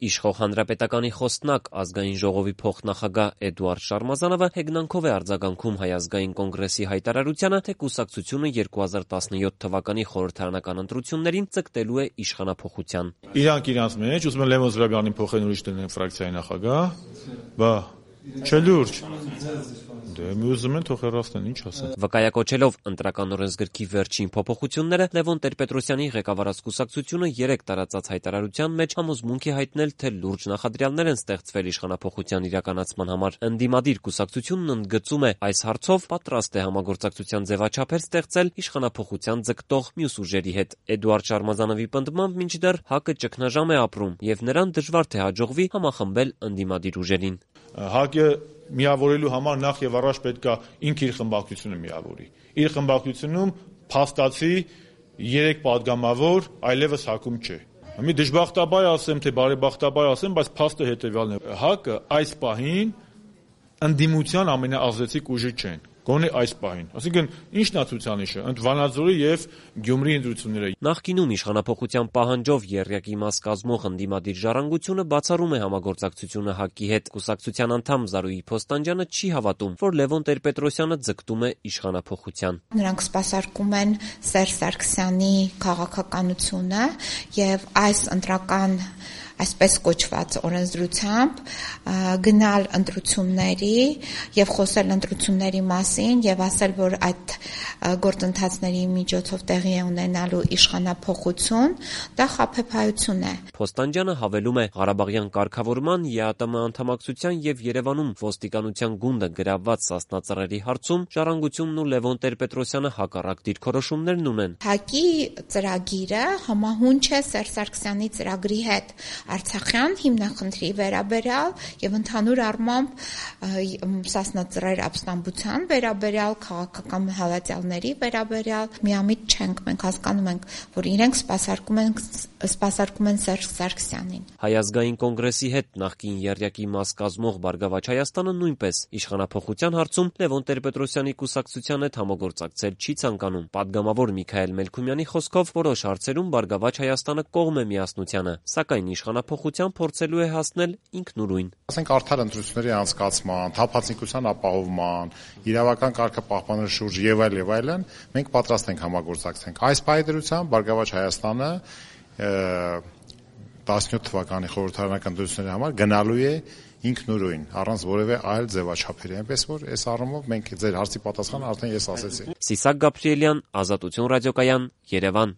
Իշխող հանրապետականի խոսնակ, ազգային ժողովի փոխնախագահ Էդուարդ Շարմազանովը հեգնանքով է արձագանքում Հայ ազգային կոնգրեսի հայտարարությանը, թե կուսակցությունը 2017 թվականի խորհրդարանական ընտրություններին ձգտելու է իշխանափոխության։ Իրանք իրանց մեջ ուզում են Լևոն Զուրաբյանին փոխեն ուրիշ տնեն ֆրակցիայի նախագահ, բա չէ լուրջ։ Դե մի ուզում են թող հեռացնեն, ինչ ասեն։ Վկայակոչելով ընտրական օրենսգրքի վերջին փոփոխությունները, Լևոն Տեր-Պետրոսյանի ղեկավարած կուսակցությունը 3 տարածած հայտարարության մեջ համոզմունք է հայտնել, թե լուրջ նախադրյալներ են ստեղծվել իշխանափոխության իրականացման համար։ Ընդդիմադիր կուսակցությունն ընդգծում է, այս հարցով պատրաստ է համագործակցության ձևաչափեր ստեղծել իշխանափոխության ձգտող մյուս ուժերի հետ։ Էդուարդ Շարմազանովի պնդմամբ մինչդեռ ՀԱԿ-ը ճգնաժամ է ապրում եւ նրան դժվար թե հաջողվի համախմբել ընդդիմադիր ուժերին։ ՀԱԿ-ը միավորելու համար նախ եւ առաջ պետք է ինքը իր խմբակցությունը միավորի։ Իր խմբակցությունում փաստացի 3 падգամավոր այլևս ՀԱԿ-ում չէ։ Մի դժբախտաբար ասեմ, թե բարեբախտաբար ասեմ, բայց փաստը հետեւյալն է. ՀԱԿ-ը այս պահին ընդդիմության ամենաազդեցիկ ուժը չեն։ Գոնե այս պահին։ Այսինքն ի՞նչն է ցուցանիշը։ Ընդ Վանաձորի եւ Գյումրի ընտրությունները։ Նախկինում իշխանափոխության պահանջով եռյակի մաս կազմող ընդդիմադիր ժառանգությունը բացառում է համագործակցությունը ՀԱԿ-ի հետ։ Կուսակցության անդամ Զարուհի Փոստանջյանը չի հավատում, որ Լևոն Տեր-Պետրոսյանը ձգտում է իշխանափոխության։ Նրանք սպասարկում են Սերժ Սարգսյանի քաղաքականությունը եւ այս ընտրական այսպես կոչված օրենսդրությամբ գնալ ընտրությունների եւ խոսել ընտրությունների մասին եւ ասել, որ այդ գործընթացների միջոցով տեղի է ունենալու իշխանափոխություն, դա խաբեբայություն է։ Փոստանջյանը հավելում է, Ղարաբաղյան կարգավորման, ԵԱՏՄ անդամակցության եւ Երևանում ոստիկանության գունդը գրավված սասնածռերի հարցում ժառանգությունն ու Լևոն Տեր-Պետրոսյանը հակառակ դիրքորոշումներն ունեն։ ՀԱԿ-ի ծրագիրը համահունչ է Սերժ Սարգսյանի ծրագրի հետ Արցախյան հիմնախնդրի վերաբերյալ եւ ընդհանուր առմամբ սասնածռեր ապստամբության վերաբերյալ, քաղաքական հավատալների վերաբերյալ միամիտ չենք, մենք հասկանում ենք, որ իրենք սպասարկում են Սերժ Սարգսյանին։ Հայ ազգային կոնգրեսի հետ նախկին եռյակի մաս կազմող Բարգավաճ Հայաստանը նույնպես իշխանափոխության հարցում Լևոն Տեր-Պետրոսյանի կուսակցության հետ համագործակցել չի ցանկանում։ Պատգամավոր Միքայել Մելքումյանի խոսքով որոշ հարցերում Բարգավաճ Հայաստանը կողմ է միասնությանը, սակայն իշխանափոխության փորձելու է հասնել ինքնուրույն։ Ասենք արդար ընտրությունների անցկացման, թափանցիկության ապահովման, իրավական կարգը պահպանելու շուրջ եւ այլն, մենք պատրաստ ենք համագործակցենք։ Այս պայմանությամբ Բարգավաճ Հայաստանը 17 թվականի խորհրդարանական ընտրությունների համար գնալու է ինքնուրույն, առանց որևէ այլ ձևաչափերի, այնպես որ այս առումով մենք ձեր հարցի պատասխանը արդեն ես ասեցի։ Սիսակ Գաբրիելյան, Ազատություն ռադիոկայան, Երևան։